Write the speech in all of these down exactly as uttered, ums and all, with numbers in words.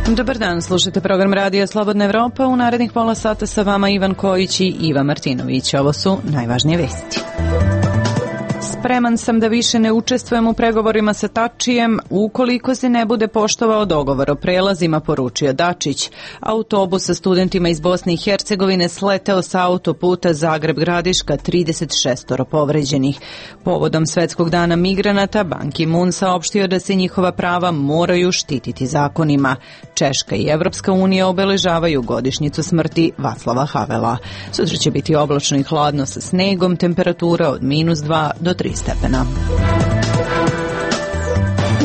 Dobar dan, slušajte program Radija Slobodna Evropa. U narednih pola sata sa vama Ivan Kojić i Iva Martinović. Ovo su najvažnije vesti. Spreman sam da više ne učestvujem u pregovorima sa Tačijem ukoliko se ne bude poštovao dogovor o prelazima, poručio Dačić. Autobus sa studentima iz Bosne i Hercegovine sleteo sa autoputa Zagreb-Gradiška, trideset šest povređenih. Povodom Svetskog dana migranata, Ban Ki-moon saopštio da se njihova prava moraju štititi zakonima. Češka i Evropska unija obeležavaju godišnjicu smrti Vaclava Havela. Sutra će biti oblačno i hladno sa snegom, temperatura od minus dva do tri stepena.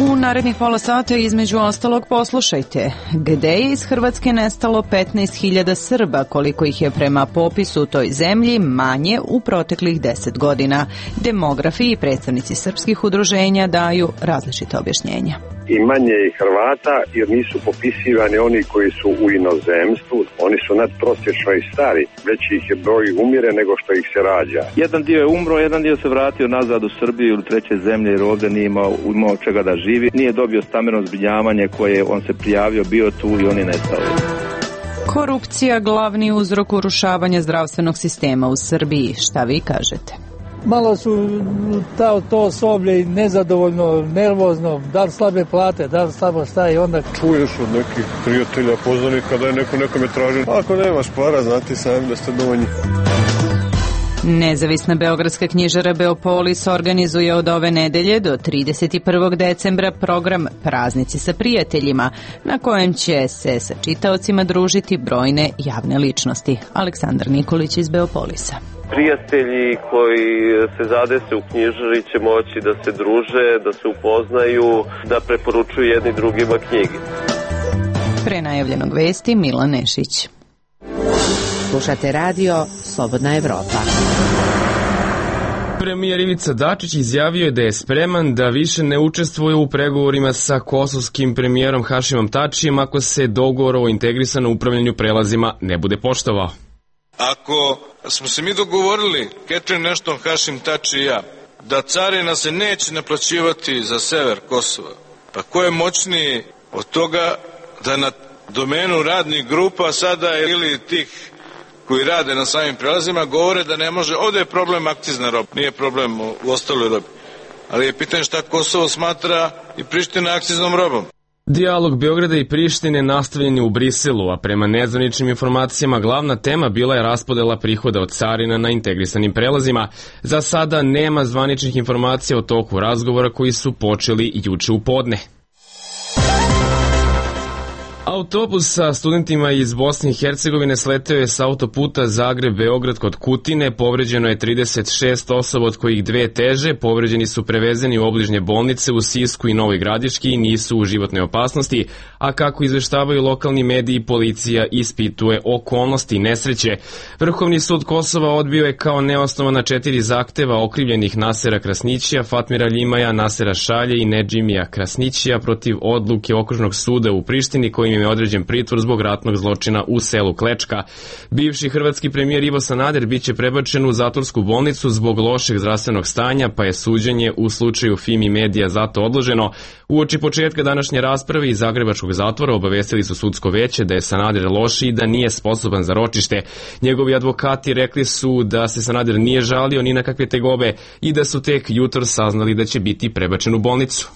U narednih pola sata između ostalog poslušajte gde je iz Hrvatske nestalo petnaest hiljada Srba, koliko ih je prema popisu u toj zemlji manje u proteklih deset godina. Demografi i predstavnici srpskih udruženja daju različite objašnjenja. I manje i Hrvata, jer nisu popisivani oni koji su u inozemstvu, oni su nadprosječno i stari, veći ih je broj umire nego što ih se rađa. Jedan dio je umro, jedan dio se vratio nazad u Srbiju ili treće zemlje jer ovdje nije imao, imao čega da živi, nije dobio stambeno zbrinjavanje koje on se prijavio, bio tu i on je nestao. Korupcija glavni uzrok urušavanja zdravstvenog sistema u Srbiji. Šta vi kažete? Malo su ta, to osoblje nezadovoljno, nervozno, da li slabe plate, da li slabo šta i onda... Čuješ od nekih prijatelja, poznanika da je neko nekome traži. Ako nemaš para, znati sami da ste dovoljni. Nezavisna beogradska knjižara Beopolis organizuje od ove nedelje do trideset prvog decembra program Praznici sa prijateljima, na kojem će se sa čitaocima družiti brojne javne ličnosti. Aleksandar Nikolić iz Beopolisa. Prijatelji koji se zadese u knjižari će moći da se druže, da se upoznaju, da preporučuju jedni drugima knjige. Pre najavljenog vesti Milan Nešić. Slušate radio Slobodna Evropa. Premijer Ivica Dačić izjavio je da je spreman da više ne učestvuje u pregovorima sa kosovskim premijerom Hašimom Tačijem ako se dogovor o integrisanom upravljanju prelazima ne bude poštovao. Ako smo se mi dogovorili, Catherine Ashton, Hašim Tači i ja, da carina se neće naplaćivati za sever Kosova, pa ko je moćniji od toga da na domenu radnih grupa sada ili tih koji rade na samim prelazima govore da ne može, ovdje je problem akcizna roba, nije problem u ostaloj robi, ali je pitanje šta Kosovo smatra i Priština akciznom robom. Dijalog Beograda i Prištine nastavljen je u Briselu, a prema nezvaničnim informacijama glavna tema bila je raspodela prihoda od carina na integrisanim prelazima. Za sada nema zvaničnih informacija o toku razgovora koji su počeli juče u podne. Autobus sa studentima iz Bosne i Hercegovine sleteo je sa autoputa Zagreb-Beograd kod Kutine. Povređeno je trideset šest osoba, od kojih dve teže. Povređeni su prevezeni u obližnje bolnice u Sisku i Novoj Gradiški i nisu u životnoj opasnosti, a kako izveštavaju lokalni mediji, policija ispituje okolnosti nesreće. Vrhovni sud Kosova odbio je kao neosnovana četiri zahteva okrivljenih Nasera Krasnićija, Fatmira Ljimaja, Nasera Šalje i Nedžimija Krasnićija protiv odluke Okružnog suda u Prištini kojim je određen pritvor zbog ratnog zločina u selu Klečka. Bivši hrvatski premijer Ivo Sanader biće prebačen u zatvorsku bolnicu zbog lošeg zdravstvenog stanja, pa je suđenje u slučaju Fimi Medija zato odloženo. Uoči početka današnje rasprave iz zagrebačkog zatvora obavestili su sudsko veće da je Sanader loš i da nije sposoban za ročište. Njegovi advokati rekli su da se Sanader nije žalio ni na kakve tegobe i da su tek jutros saznali da će biti prebačen u bolnicu.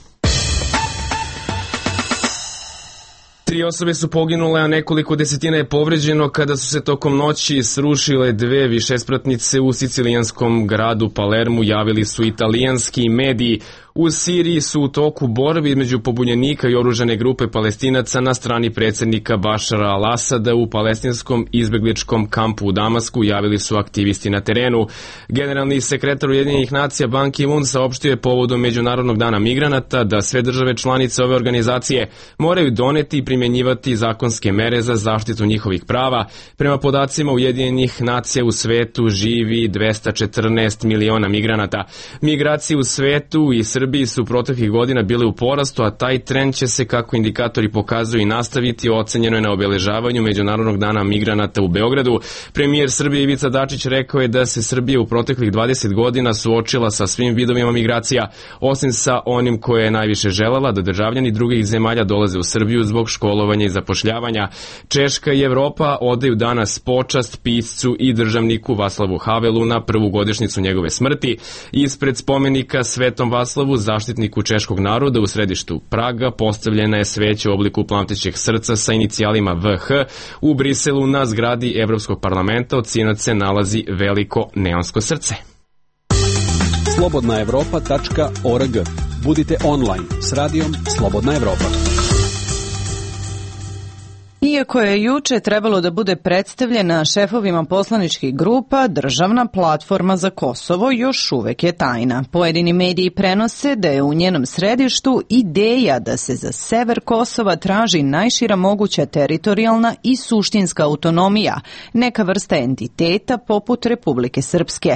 Tri osobe su poginule, a nekoliko desetina je povređeno kada su se tokom noći srušile dve višespratnice u sicilijanskom gradu Palermu, javili su italijanski mediji. U Siriji su u toku borbi između pobunjenika i oružane grupe Palestinaca na strani predsjednika Bašara al-Asada u palestinskom izbegličkom kampu u Damasku, javili su aktivisti na terenu. Generalni sekretar Ujedinjenih nacija Ban Ki-moon saopštio je povodom Međunarodnog dana migranata da sve države članice ove organizacije moraju doneti i primjenjivati zakonske mere za zaštitu njihovih prava. Prema podacima Ujedinjenih nacija u svetu živi dvesta četrnaest miliona migranata. Migracije u svetu i Srbiji Srbiji su proteklih godina bile u porastu, a taj trend će se, kako indikatori pokazuju, i nastaviti. Ocenjeno je na obeležavanju Međunarodnog dana migranata u Beogradu. Premijer Srbije Ivica Dačić rekao je da se Srbija u proteklih dvadeset godina suočila sa svim vidovima migracija, osim sa onim koje je najviše želela, da državljani drugih zemalja dolaze u Srbiju zbog školovanja i zapošljavanja. Češka i Evropa odaju danas počast piscu i državniku Vaclavu Havelu na prvu godišnjicu njegove smrti. Ispred spomenika Svetom Vaclavu, zaštitniku češkog naroda, u središtu Praga postavljena je sveća u obliku plamtećeg srca sa inicijalima V H. U Briselu na zgradi Evropskog parlamenta od sinoć se nalazi veliko neonsko srce. slobodna evropa tačka org. Budite online s radijom Slobodna Evropa. Iako je juče trebalo da bude predstavljena šefovima poslaničkih grupa, državna platforma za Kosovo još uvek je tajna. Pojedini mediji prenose da je u njenom središtu ideja da se za sever Kosova traži najšira moguća teritorijalna i suštinska autonomija, neka vrsta entiteta poput Republike Srpske.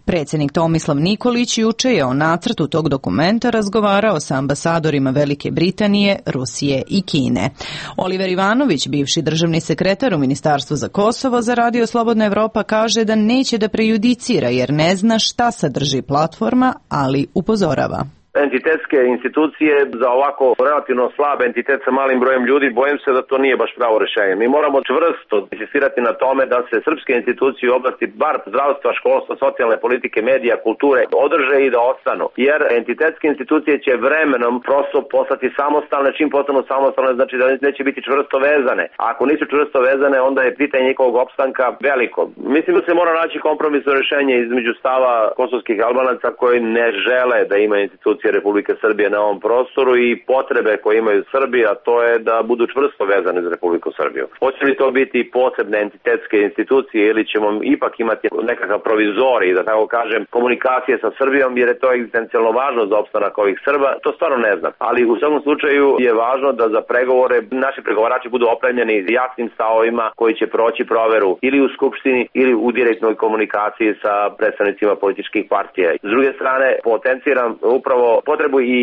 Predsjednik Tomislav Nikolić juče je o nacrtu tog dokumenta razgovarao sa ambasadorima Velike Britanije, Rusije i Kine. Oliver Ivanović, bivši državni sekretar u Ministarstvu za Kosovo, za Radio Slobodna Evropa kaže da neće da prejudicira jer ne zna šta sadrži platforma, ali upozorava. Entitetske institucije za ovako relativno slab entitet sa malim brojem ljudi, bojim se da to nije baš pravo rešenje. Mi moramo čvrsto insistirati na tome da se srpske institucije u oblasti bar zdravstva, školstva, socijalne politike, medija, kulture održe i da ostanu. Jer entitetske institucije će vremenom prosto postati samostalne, čim postanu samostalne znači da neće biti čvrsto vezane. A ako nisu čvrsto vezane, onda je pitanje njihovog opstanka veliko. Mislim da se mora naći kompromisno rešenje između stava kosovskih Albanaca koji ne žele da imaju institucije Republike Srbije na ovom prostoru i potrebe koje imaju Srbi, a to je da budu čvrsto vezane za Republiku Srbiju. Hoće li to biti posebne entitetske institucije ili ćemo ipak imati nekakav provizorij, da tako kažem, komunikacije sa Srbijom, jer je to egzistencijalno važno za opstanak ovih Srba, to stvarno ne znam. Ali u svakom slučaju je važno da za pregovore naši pregovarači budu opremljeni jasnim stavovima koji će proći proveru ili u Skupštini ili u direktnoj komunikaciji sa predstavnicima političkih partija. S druge strane, potenciram upravo potrebu i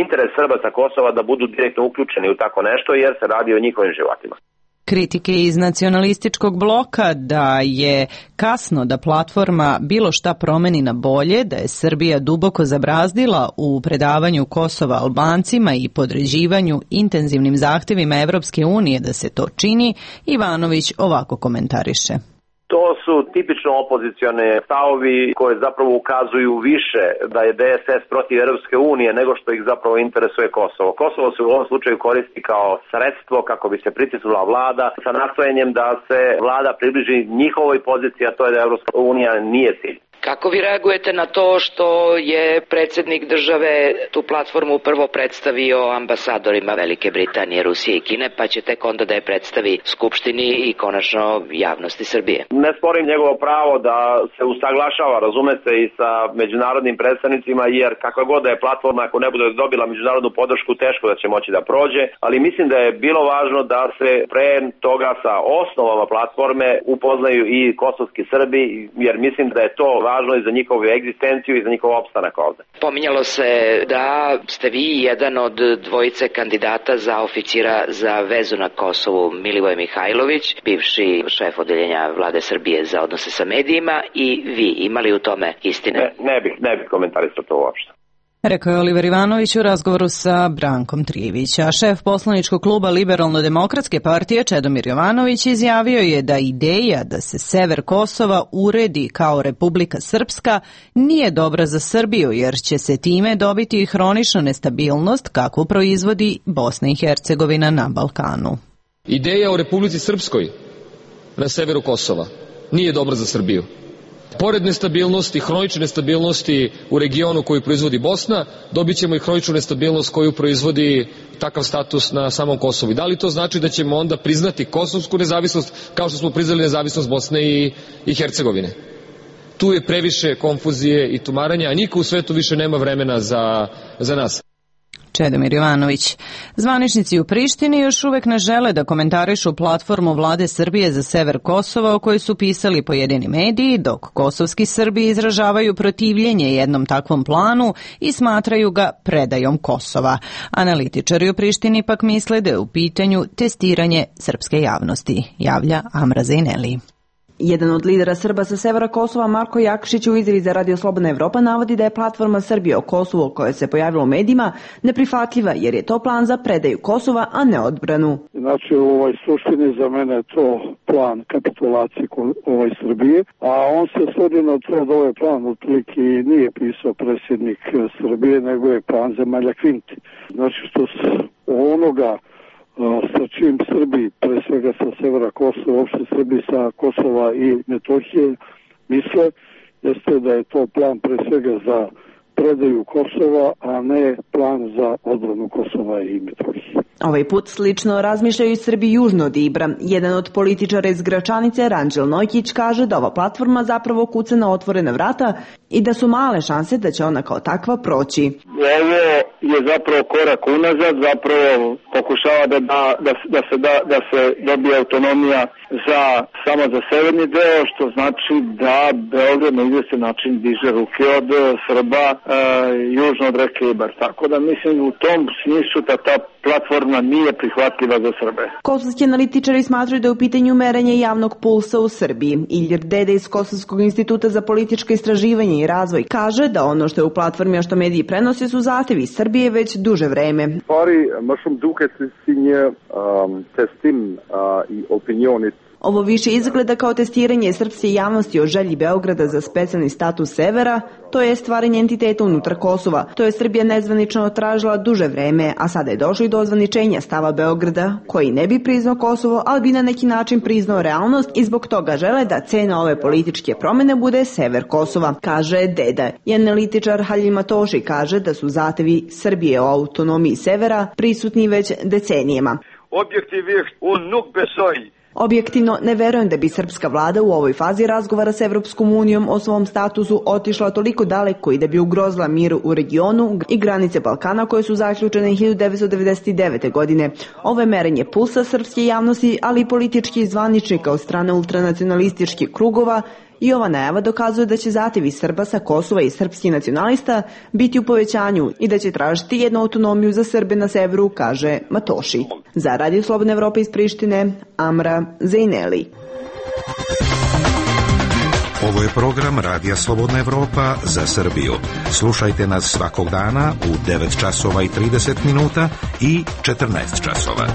interes Srba Kosova da budu direktno uključeni u tako nešto jer se radi o njihovim životima. Kritike iz nacionalističkog bloka da je kasno da platforma bilo šta promeni na bolje, da je Srbija duboko zabrazdila u predavanju Kosova Albancima i podređivanju intenzivnim zahtevima Evropske unije da se to čini, Ivanović ovako komentariše. To su tipično opozicione stavovi koje zapravo ukazuju više da je D S S protiv Europske unije nego što ih zapravo interesuje Kosovo. Kosovo se u ovom slučaju koristi kao sredstvo kako bi se pritisnula vlada sa nastojanjem da se vlada približi njihovoj poziciji, a to je da Europska unija nije cilj. Kako vi reagujete na to što je predsjednik države tu platformu prvo predstavio ambasadorima Velike Britanije, Rusije i Kine, pa će tek onda da je predstavi Skupštini i konačno javnosti Srbije? Ne sporim njegovo pravo da se usaglašava, razume se, i sa međunarodnim predstavnicima, jer kakva god da je platforma, ako ne bude dobila međunarodnu podršku, teško da će moći da prođe, ali mislim da je bilo važno da se pre toga sa osnovama platforme upoznaju i kosovski Srbi, jer mislim da je to važno važno i za njihovu egzistenciju i za njihov opstanak ovde. Pominjalo se da ste vi jedan od dvojice kandidata za oficira za vezu na Kosovu, Milivoje Mihajlović, bivši šef odeljenja Vlade Srbije za odnose sa medijima, i vi imali u tome istine? Ne, ne bih, ne bih komentarisao to uopšte. Rekao je Oliver Ivanović u razgovoru sa Brankom Trijević, a šef poslaničkog kluba Liberalno-demokratske partije Čedomir Jovanović izjavio je da ideja da se sever Kosova uredi kao Republika Srpska nije dobra za Srbiju, jer će se time dobiti hronična nestabilnost kakvu proizvodi Bosna i Hercegovina na Balkanu. Ideja o Republici Srpskoj na severu Kosova nije dobra za Srbiju. Pored nestabilnosti, hronične nestabilnosti u regionu koju proizvodi Bosna, dobit ćemo i hroničnu nestabilnost koju proizvodi takav status na samom Kosovu. I da li to znači da ćemo onda priznati kosovsku nezavisnost kao što smo priznali nezavisnost Bosne i, i Hercegovine? Tu je previše konfuzije i tumaranja, a niko u svetu više nema vremena za, za nas. Čedomir Jovanović. Zvaničnici u Prištini još uvek ne žele da komentarišu platformu vlade Srbije za sever Kosova o kojoj su pisali pojedini mediji, dok kosovski Srbi izražavaju protivljenje jednom takvom planu i smatraju ga predajom Kosova. Analitičari u Prištini pak misle da je u pitanju testiranje srpske javnosti, javlja Amra Zejneli. Jedan od lidera Srba sa severa Kosova, Marko Jakšić, u izjavi za Radio Slobodna Evropa navodi da je platforma Srbije o Kosovu koja se pojavila u medijima neprihvatljiva jer je to plan za predaju Kosova, a ne odbranu. Znači u ovoj suštini za mene je to plan kapitulacije ovoj Srbije, a on se svodi na to da ovaj plan otprilike nije pisao predsjednik Srbije, nego je plan zemalja Kvinti. Znači što se onoga sa čim Srbi, pre svega sa severa Kosova, uopšte Srbi sa Kosova i Metohije misle, jeste da je to plan pre svega za predaju Kosova, a ne plan za odbranu Kosova i Metohije. Ovaj put slično razmišljaju i Srbi južno od Ibra. Jedan od političara iz Gračanice, Ranđel Nojkić, kaže da ova platforma zapravo kuca na otvorena vrata i da su male šanse da će ona kao takva proći. Ovo je zapravo korak unazad, zapravo pokušava da, da, da, da, se, da, da se dobije autonomija za, samo za severni deo, što znači da Beograd na izvestan način diže ruke od Srba e, južno od reke Ibar. Tako da mislim u tom smislu da ta platforma nije prihvatljiva za Srbe. Kosovski analitičari smatraju da je u pitanju merenje javnog pulsa u Srbiji. Ilir Dede iz Kosovskog instituta za političko istraživanje i razvoj kaže da ono što je u platformi, a što mediji prenose, su zahtevi Srbije već duže vreme. Stvari, më shumë duket si një um, testim uh, i opinionit. Ovo više izgleda kao testiranje srpske javnosti o želji Beograda za specijalni status severa, to je stvaranje entiteta unutar Kosova. To je Srbija nezvanično tražila duže vreme, a sada je došlo i do ozvaničenja stava Beograda, koji ne bi priznao Kosovo, ali bi na neki način priznao realnost i zbog toga žele da cena ove političke promene bude sever Kosova, kaže Deda. I analitičar Halil Matoši kaže da su zahtevi Srbije o autonomiji severa prisutni već decenijama. Objektivisht, un nuk besoj. Objektivno, ne verujem da bi srpska vlada u ovoj fazi razgovara s Evropskom unijom o svom statusu otišla toliko daleko i da bi ugrozila mir u regionu i granice Balkana koje su zaključene hiljadu devetsto devedeset devete. godine. Ovo je merenje pulsa srpske javnosti, ali i političkih zvaničnika od strane ultranacionalističkih krugova, i ova najava dokazuje da će zahtevi Srba sa Kosova i srpskih nacionalista biti u povećanju i da će tražiti jednu autonomiju za Srbe na severu, kaže Matoši. Za Radio Slobodna Evropa iz Prištine, Amra Zejneli. Ovo je program Radija Slobodna Evropa za Srbiju. Slušajte nas svakog dana u devet časova i trideset minuta i četrnaest časova.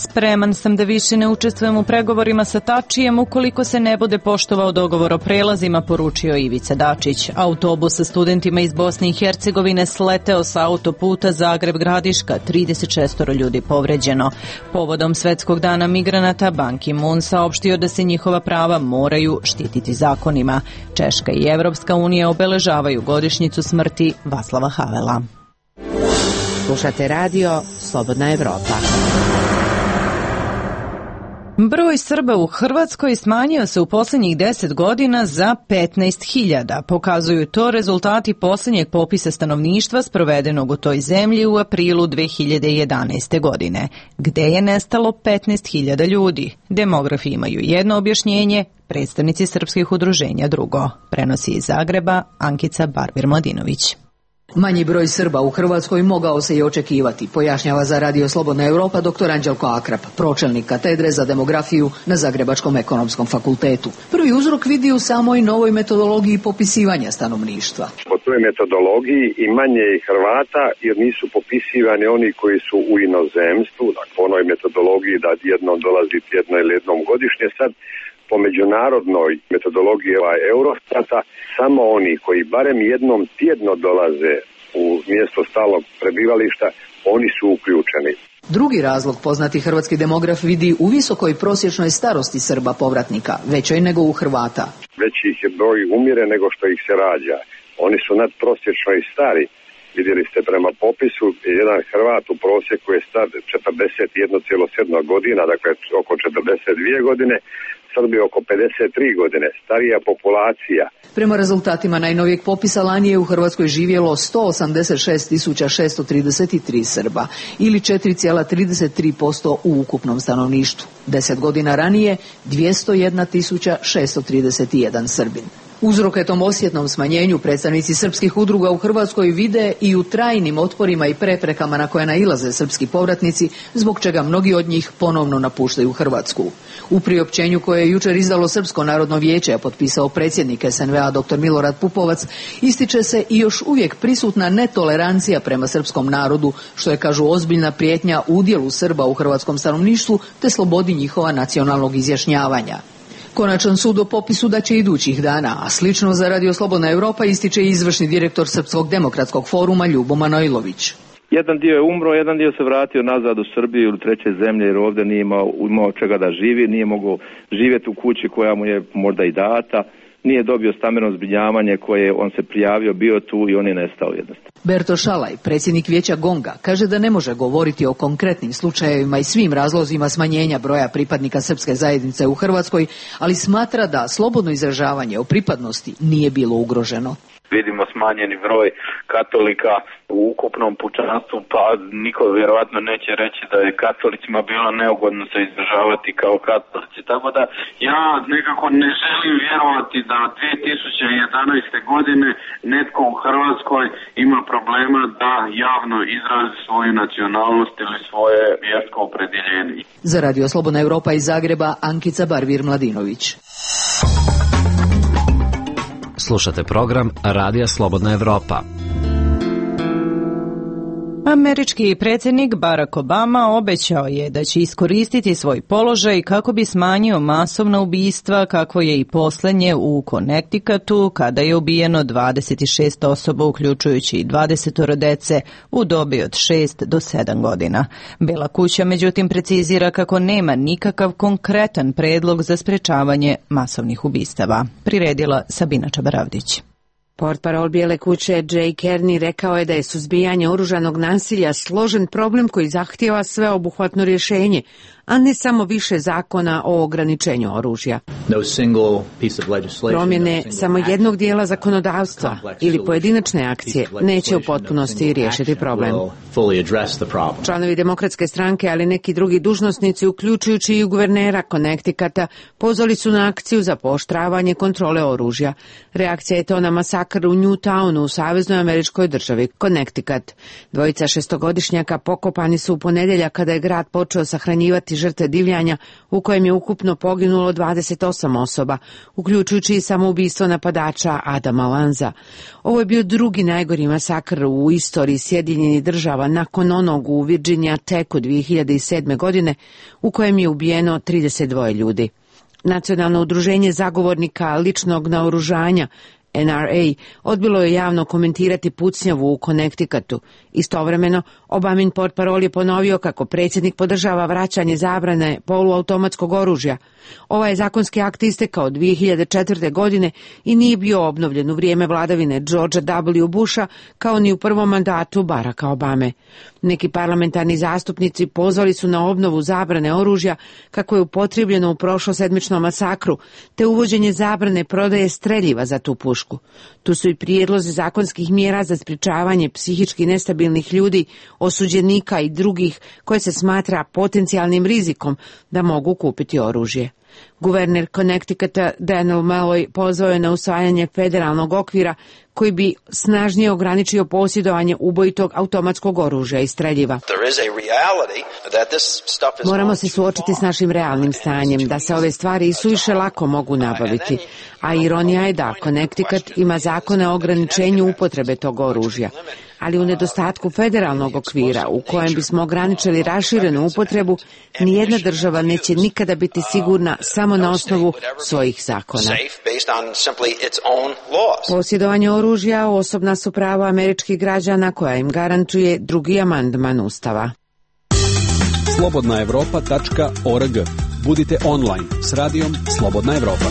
Spreman sam da više ne učestvujem u pregovorima sa Tačijem ukoliko se ne bude poštovao dogovor o prelazima, poručio Ivica Dačić. Autobus sa studentima iz Bosne i Hercegovine sleteo sa autoputa Zagreb-Gradiška, trideset šest ljudi povređeno. Povodom Svetskog dana migranata, Ban Ki-moon saopštio da se njihova prava moraju štititi zakonima. Češka i Evropska unija obeležavaju godišnjicu smrti Václava Havela. Slušate radio Slobodna Evropa. Broj Srba u Hrvatskoj smanjio se u posljednjih deset godina za petnaest hiljada. Pokazuju to rezultati posljednjeg popisa stanovništva sprovedenog u toj zemlji u aprilu dve hiljade jedanaeste. godine. Gde je nestalo petnaest hiljada ljudi? Demografi imaju jedno objašnjenje, predstavnici srpskih udruženja drugo. Prenosi iz Zagreba Ankica Barbir-Mladinović. Manji broj Srba u Hrvatskoj mogao se i očekivati, pojašnjava za Radio Slobodna Evropa doktor Anđelko Akrap, pročelnik katedre za demografiju na Zagrebačkom ekonomskom fakultetu. Prvi uzrok vidi u samoj novoj metodologiji popisivanja stanovništva. Po toj metodologiji i manje je Hrvata jer nisu popisivani oni koji su u inozemstvu, dakle po onoj metodologiji da jednom dolazi tjedno ili jednom godišnje. Sad po međunarodnoj metodologiji Eurostata, samo oni koji barem jednom tjedno dolaze u mjesto stalnog prebivališta, oni su uključeni. Drugi razlog poznati hrvatski demograf vidi u visokoj prosječnoj starosti Srba povratnika, većoj nego u Hrvata. Veći ih je broj umire nego što ih se rađa. Oni su nadprosječno i stari Vidjeli ste prema popisu, jedan Hrvat u prosjeku je star četrdeset jedan zarez sedam godina, dakle oko četrdeset dvije godine, Srbi oko pedeset tri godine, starija populacija. Prema rezultatima najnovijeg popisa lani je u Hrvatskoj živjelo sto osamdeset šest tisuća šesto trideset tri Srba ili četiri zarez trideset tri posto u ukupnom stanovništvu. Deset godina ranije dvjesto jedna tisuća šesto trideset jedan Srbin. Uzroke tom osjetnom smanjenju predstavnici srpskih udruga u Hrvatskoj vide i u trajnim otporima i preprekama na koje nailaze srpski povratnici, zbog čega mnogi od njih ponovno napuštaju Hrvatsku. U priopćenju koje je jučer izdalo Srpsko narodno vijeće, a potpisao predsjednik es en ve a dr Milorad Pupovac, ističe se i još uvijek prisutna netolerancija prema srpskom narodu, što je, kažu, ozbiljna prijetnja udjelu Srba u hrvatskom stanovništvu te slobodi njihova nacionalnog izjašnjavanja. Konačan sud o popisu daće idućih dana, a slično za Radio Slobodna Europa ističe i izvršni direktor Srpskog demokratskog foruma Ljubo Manojlović. Jedan dio je umro, jedan dio se vratio nazad u Srbiju ili treće zemlje jer ovdje nije imao, imao čega da živi, nije mogao živjeti u kući koja mu je možda i data, nije dobio stambeno zbrinjavanje koje on se prijavio, bio tu i on je nestao jednostavno. Berto Šalaj, predsjednik vijeća Gonga, kaže da ne može govoriti o konkretnim slučajevima i svim razlozima smanjenja broja pripadnika srpske zajednice u Hrvatskoj, ali smatra da slobodno izražavanje o pripadnosti nije bilo ugroženo. Vidimo smanjeni broj katolika u ukupnom pučanstvu, pa niko vjerovatno neće reći da je katolicima bilo neugodno se izražavati kao katolici. Tako da ja nekako ne želim vjerovati da dvije tisuće jedanaeste. godine netko u Hrvatskoj ima problema da javno izrazi svoju nacionalnost ili svoje vjersko opredjeljenje. Za Radio Slobodna Europa iz Zagreba, Ankica Barvir-Mladinović. Slušate program Radija Slobodna Evropa. Američki predsjednik Barack Obama obećao je da će iskoristiti svoj položaj kako bi smanjio masovna ubistva, kako je i posljednje u Connecticutu, kada je ubijeno dvadeset šest osoba, uključujući i dvadeset dece u dobi od šest do sedam godina. Bela kuća međutim precizira kako nema nikakav konkretan predlog za sprečavanje masovnih ubistava. Priredila Sabina Čabaravdić. Portparol Bijele kuće Jay Kearney rekao je da je suzbijanje oružanog nasilja složen problem koji zahtijeva sveobuhvatno rješenje, a ne samo više zakona o ograničenju oružja. Promjene samo jednog dijela zakonodavstva ili pojedinačne akcije neće u potpunosti riješiti problem. Članovi Demokratske stranke, ali neki drugi dužnosnici, uključujući i guvernera Connecticuta, pozvali su na akciju za pooštravanje kontrole oružja. Reakcija je to na masakr u Newtownu u saveznoj američkoj državi Connecticut. Dvojica šestogodišnjaka pokopani su u ponedjeljak kada je grad počeo sahranjivati žrtve divljanja u kojem je ukupno poginulo dvadeset osam osoba, uključujući i samoubistvo napadača Adama Lanza. Ovo je bio drugi najgori masakr u istoriji Sjedinjenih Država nakon onog u Virginia Techu dvije hiljade sedme. godine u kojem je ubijeno trideset dva ljudi. Nacionalno udruženje zagovornika ličnog naoružanja N R A odbilo je javno komentirati pucnjavu u Connecticutu. Istovremeno, Obamin portparol je ponovio kako predsjednik podržava vraćanje zabrane poluautomatskog oružja. Ovaj zakonski akt istekao dvije hiljade četvrte. godine i nije bio obnovljen u vrijeme vladavine Georgea W. Busha kao ni u prvom mandatu Baracka Obame. Neki parlamentarni zastupnici pozvali su na obnovu zabrane oružja kako je upotrijebljeno u prošlosedmičnom masakru, te uvođenje zabrane prodaje streljiva za tu pušku. Tu su i prijedlozi zakonskih mjera za sprječavanje psihički nestabilnih ljudi, osuđenika i drugih koje se smatra potencijalnim rizikom da mogu kupiti oružje. Guverner Connecticuta Daniel Malloy pozvao je na usvajanje federalnog okvira koji bi snažnije ograničio posjedovanje ubojitog automatskog oružja i streljiva. Moramo se suočiti s našim realnim stanjem, da se ove stvari i suviše lako mogu nabaviti, a ironija je da Connecticut ima zakone o ograničenju upotrebe tog oružja. Ali u nedostatku federalnog okvira u kojem bismo ograničili raširenu upotrebu, nijedna država neće nikada biti sigurna samo na osnovu svojih zakona. Posjedovanje oružja osobna su prava američkih građana koja im garantuje drugi amandman Ustava. slobodna evropa tačka org. Budite online s radijom Slobodna Evropa.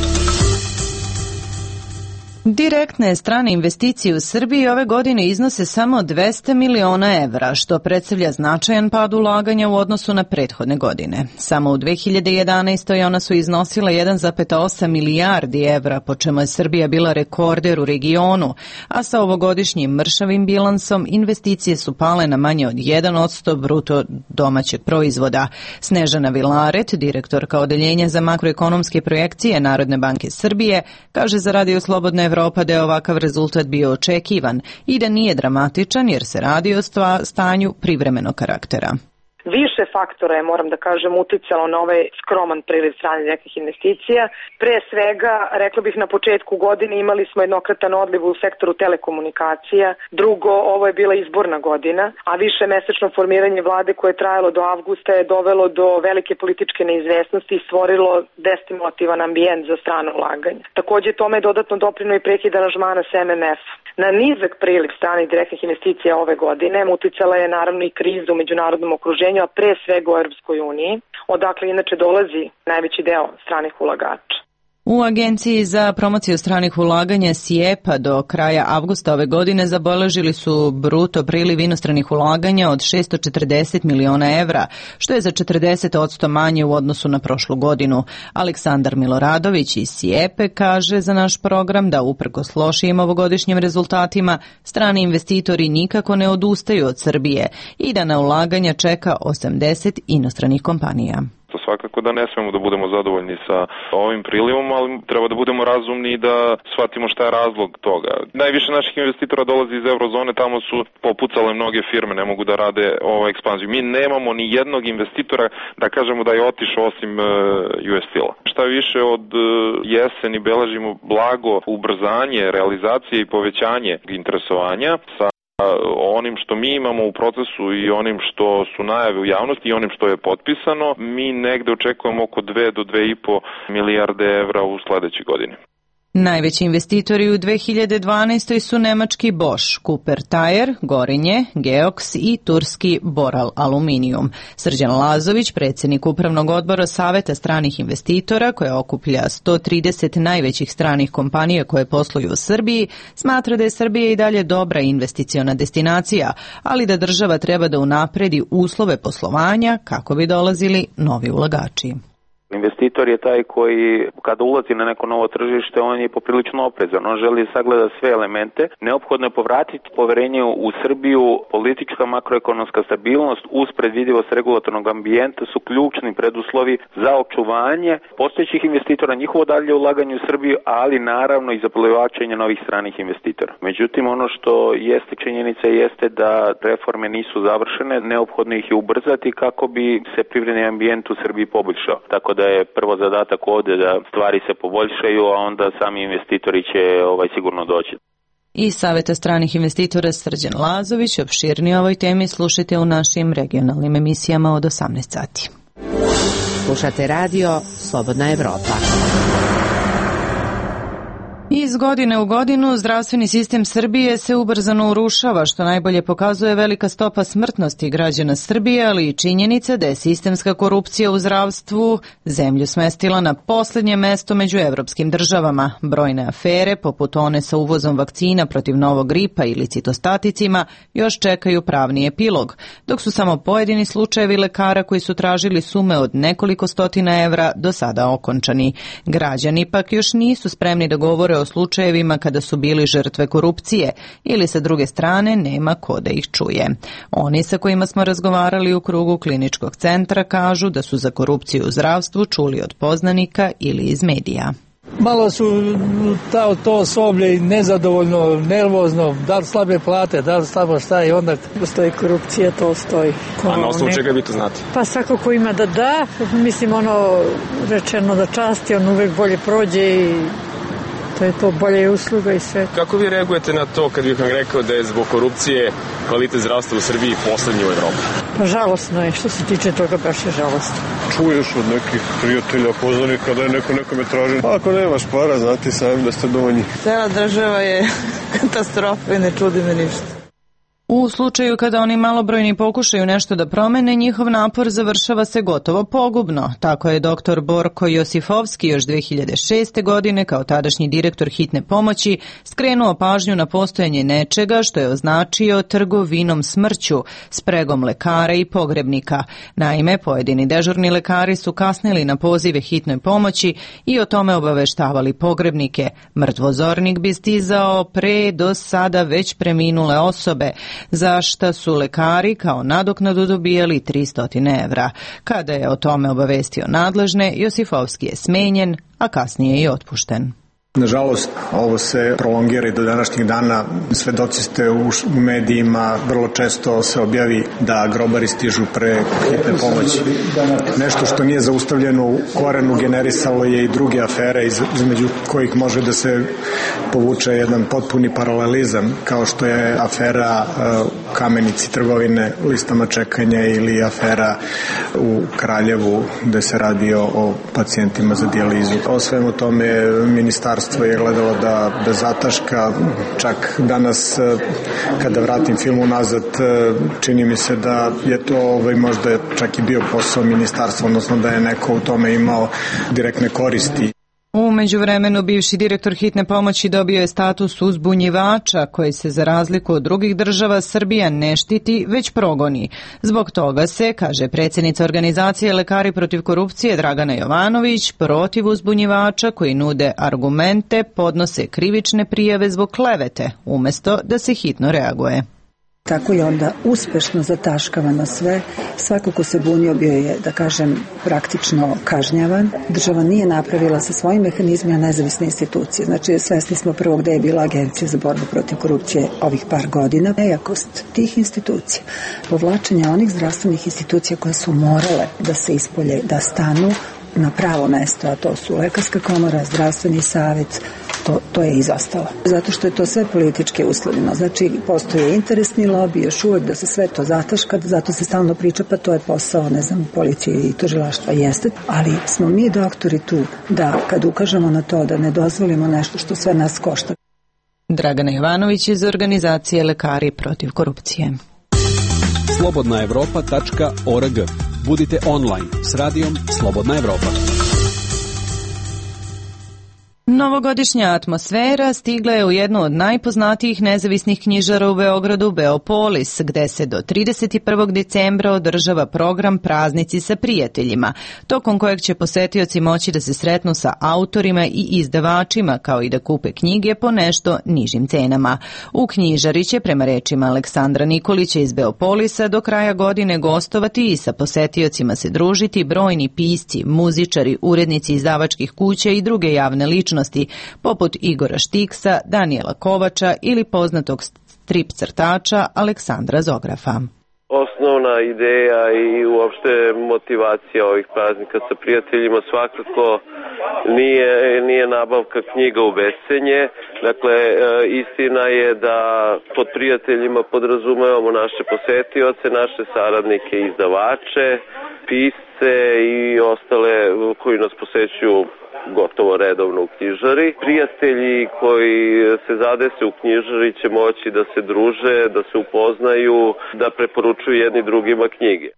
Direktne strane investicije u Srbiji ove godine iznose samo dvesta miliona evra, što predstavlja značajan pad ulaganja u odnosu na prethodne godine. Samo u dve hiljade jedanaestoj. ona su iznosila jedan zarez osam milijardi evra, po čemu je Srbija bila rekorder u regionu, a sa ovogodišnjim mršavim bilansom investicije su pale na manje od jedan posto bruto domaćeg proizvoda. Snežana Vilaret, direktorka Odeljenja za makroekonomske projekcije Narodne banke Srbije, kaže za Radio Slobodna Evropa da je ovakav rezultat bio očekivan i da nije dramatičan jer se radi o stanju privremenog karaktera. Više faktora je, moram da kažem, uticalo na ovaj skroman priliv stranih direktnih investicija. Pre svega, rekla bih, na početku godine imali smo jednokratan odliv u sektoru telekomunikacija. Drugo, ovo je bila izborna godina, a više mesečno formiranje vlade koje je trajalo do avgusta je dovelo do velike političke neizvesnosti i stvorilo destimulativan ambijent za strano ulaganje. Takođe, tome je dodatno doprino i prekid aranžmana s em em ef. Na nizak priliv stranih direktnih investicija ove godine uticala je naravno i kriza u međunarodnom okruženju, a pre svega u Europskoj uniji, odakle inače dolazi najveći deo stranih ulagača. U Agenciji za promociju stranih ulaganja SIEPA do kraja avgusta ove godine zabeležili su bruto priliv inostranih ulaganja od šessto četrdeset miliona evra, što je za četrdeset posto manje u odnosu na prošlu godinu. Aleksandar Miloradović iz SIEPE kaže za naš program da uprkos lošijim ovogodišnjim rezultatima strani investitori nikako ne odustaju od Srbije i da na ulaganja čeka osamdeset inostranih kompanija. Svakako da ne smemo da budemo zadovoljni sa ovim prilivom, ali treba da budemo razumni i da shvatimo šta je razlog toga. Najviše naših investitora dolazi iz eurozone, tamo su popucale mnoge firme, ne mogu da rade ovaj ekspanziju. Mi nemamo ni jednog investitora da kažemo da je otišao osim uh, U S Steel-a. Šta više, od uh, jeseni beležimo blago ubrzanje realizacije i povećanje interesovanja sa onim što mi imamo u procesu i onim što su najave u javnosti i onim što je potpisano, mi negde očekujemo oko dve do dve i po milijarde evra u sledećoj godini. Najveći investitori u dve hiljade dvanaestoj. su nemački Bosch, Cooper Tire, Gorenje, Geox i turski Boral Aluminium. Srđan Lazović, predsjednik upravnog odbora Saveta stranih investitora, koja okuplja sto trideset najvećih stranih kompanija koje posluju u Srbiji, smatra da je Srbija i dalje dobra investiciona destinacija, ali da država treba da unapredi uslove poslovanja kako bi dolazili novi ulagači. Investitor je taj koji kada ulazi na neko novo tržište, on je poprilično oprezan, on želi sagleda sve elemente. Neophodno je povratiti poverenje u Srbiju, politička makroekonomska stabilnost uz predvidivost regulatornog ambijenta su ključni preduslovi za očuvanje postojećih investitora, njihovo dalje ulaganje u Srbiju, ali naravno i za privlačenje novih stranih investitora. Međutim, ono što jeste činjenica jeste da reforme nisu završene, neophodno ih je ubrzati kako bi se privredni ambijent u Srbiji poboljšao. Tako da je prvo zadatak ovde da stvari se poboljšaju, a onda sami investitori će ovaj sigurno doći. Iz Saveta stranih investitora Srđan Lazović, opširnije o ovoj temi slušajte u našim regionalnim emisijama od osamnaest sati. Slušate radio Slobodna Evropa. Iz godine u godinu zdravstveni sistem Srbije se ubrzano urušava, što najbolje pokazuje velika stopa smrtnosti građana Srbije, ali i činjenica da je sistemska korupcija u zdravstvu zemlju smestila na poslednje mesto među evropskim državama. Brojne afere, poput one sa uvozom vakcina protiv novog gripa ili citostaticima, još čekaju pravni epilog, dok su samo pojedini slučajevi lekara koji su tražili sume od nekoliko stotina evra do sada okončani. Građani pak još nisu spremni da govore o slučajevima kada su bili žrtve korupcije ili sa druge strane nema ko da ih čuje. Oni sa kojima smo razgovarali u krugu kliničkog centra kažu da su za korupciju u zdravstvu čuli od poznanika ili iz medija. Malo su ta, to osoblje i nezadovoljno, nervozno, da li slabe plate, da li slabo šta i onda... Postoji korupcija, to stoji. A na osnovu čega vi to znate? Pa svako ko ima da da, mislim ono rečeno da časti, on uvek bolje prođe i to je to bolje usluga i sve. Kako vi reagujete na to kad bih vam rekao da je zbog korupcije kvalitet zdravstva u Srbiji poslednji u Evropi? Pa žalosno je, što se tiče toga baš je žalosno. Čuješ od nekih prijatelja, poznanika da je neko nekome traži. Ako nemaš para, znati sami da ste dovoljni. Cela država je katastrofa i ne čudi me ništa. U slučaju kada oni malobrojni pokušaju nešto da promene, njihov napor završava se gotovo pogubno. Tako je doktor Borko Josifovski još dve hiljade šeste. godine kao tadašnji direktor hitne pomoći skrenuo pažnju na postojanje nečega što je označio trgovinom smrću, spregom lekara i pogrebnika. Naime, pojedini dežurni lekari su kasnili na pozive hitnoj pomoći i o tome obaveštavali pogrebnike. Mrtvozornik bi stizao pre do sada već preminule osobe, za šta su lekari kao nadoknadu dobijali tristo evra. Kada je o tome obavestio nadležne, Josifovski je smenjen, a kasnije i otpušten. Nažalost, ovo se prolongira i do današnjih dana. Svedoci ste u medijima, vrlo često se objavi da grobari stižu pre hitne pomoći. Nešto što nije zaustavljeno u korenu generisalo je i druge afere između kojih može da se povuče jedan potpuni paralelizam, kao što je afera u Kamenici trgovine listama čekanja ili afera u Kraljevu gde se radi o pacijentima za dijalizu. O svemu tome ministarstvo je gledalo da, da zataška. Čak danas kada vratim film unazad, čini mi se da je to ovaj, možda čak i bio posao ministarstva, odnosno da je neko u tome imao direktne koristi. U međuvremenu bivši direktor hitne pomoći dobio je status uzbunjivača koji se za razliku od drugih država Srbija ne štiti, već progoni. Zbog toga se, kaže predsjednica organizacije Lekari protiv korupcije Dragana Jovanović, protiv uzbunjivača koji nude argumente podnose krivične prijave zbog klevete, umjesto da se hitno reaguje. Tako je onda uspešno zataškavano sve. Svako ko se bunio bio je, da kažem, praktično kažnjavan. Država nije napravila sa svojim mehanizmima nezavisne institucije. Znači, svesni smo prvo gde je bila Agencija za borbu protiv korupcije ovih par godina. Nejakost tih institucija, povlačenje onih zdravstvenih institucija koje su morale da se ispolje, da stanu na pravo mesto, a to su Lekarska komora, Zdravstveni savjet, to, to je izostalo. Zato što je to sve politički uslovljeno. Znači, postoje interesni lobby još uvek da se sve to zataška, zato se stalno priča, pa to je posao, ne znam, policije i tužilaštva jeste, ali smo mi doktori tu da kad ukažemo na to da ne dozvolimo nešto što sve nas košta. Dragana Jovanović iz organizacije Lekari protiv korupcije. slobodna evropa tačka org. Budite online s radijom Slobodna Evropa. Novogodišnja atmosfera stigla je u jednu od najpoznatijih nezavisnih knjižara u Beogradu, Beopolis, gde se do trideset prvog decembra održava program Praznici sa prijateljima, tokom kojeg će posetioci moći da se sretnu sa autorima i izdavačima, kao i da kupe knjige po nešto nižim cenama. U knjižari će, prema rečima Aleksandra Nikolića iz Beopolisa, do kraja godine gostovati i sa posetiocima se družiti brojni pisci, muzičari, urednici izdavačkih kuća i druge javne ličnosti, poput Igora Štiksa, Danijela Kovača ili poznatog strip crtača Aleksandra Zografa. Osnovna ideja i uopšte motivacija ovih praznika sa prijateljima svakako nije, nije nabavka knjiga u bescenje. Dakle, istina je da pod prijateljima podrazumevamo naše posetioce, naše saradnike, izdavače, pisce i ostale koji nas posećuju gotovo redovno u knjižari. Prijatelji koji se zadese u knjižari će moći da se druže, da se upoznaju, da preporučuju jedni drugima knjige.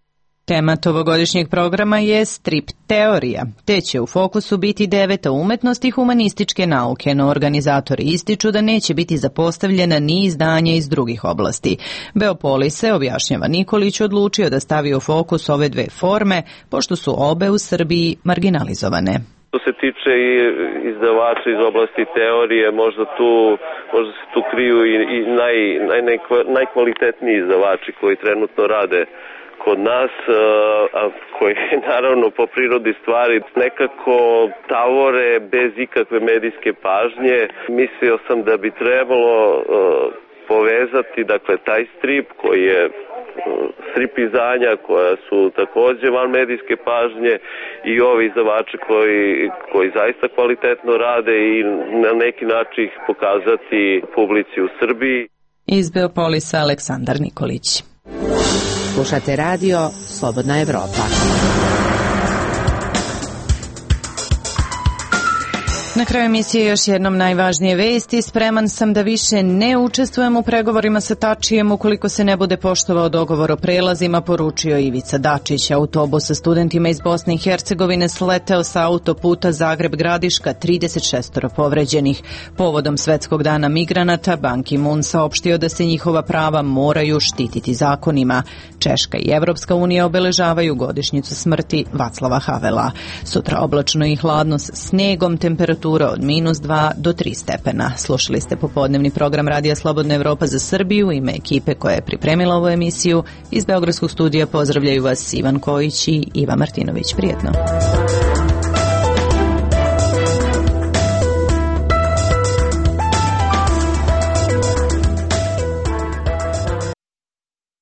Tema ovogodišnjeg programa je strip teorija, te će u fokusu biti deveta umetnost i humanističke nauke, no organizatori ističu da neće biti zapostavljena ni izdanja iz drugih oblasti. Beopolise, objašnjava Nikolić, odlučio da stavi u fokus ove dve forme, pošto su obe u Srbiji marginalizovane. Što se tiče i izdavača iz oblasti teorije, možda tu možda se tu kriju i, i naj, naj, najkvalitetniji izdavači koji trenutno rade kod nas, a koji naravno po prirodi stvari nekako tavore bez ikakve medijske pažnje. Mislio sam da bi trebalo povezati, dakle, taj strip koji je strip izdanja koja su takođe van medijske pažnje i ovi izdavači koji, koji zaista kvalitetno rade i na neki način ih pokazati publici u Srbiji. Iz Beopolisa Aleksandar Nikolić. Slušate radio Slobodna Evropa. Na kraju emisije još jednom najvažnije vesti. Spreman sam da više ne učestvujem u pregovorima sa Tačijem ukoliko se ne bude poštovao dogovor o prelazima, poručio Ivica Dačić. Autobus sa studentima iz Bosne i Hercegovine sleteo sa autoputa Zagreb-Gradiška, trideset šest povređenih. Povodom Svetskog dana migranata, Ban Ki-moon saopštio da se njihova prava moraju štititi zakonima. Češka i Evropska unija obeležavaju godišnjicu smrti Vaclava Havela. Sutra oblačno i hladno s snegom, temperatura od minus dva do tri stepena. Slušali ste popodnevni program Radija Slobodna Evropa za Srbiju. Ime ekipe koja je pripremila ovu emisiju iz Beogradskog studija pozdravljaju vas Ivan Kojić i Iva Martinović. Prijetno.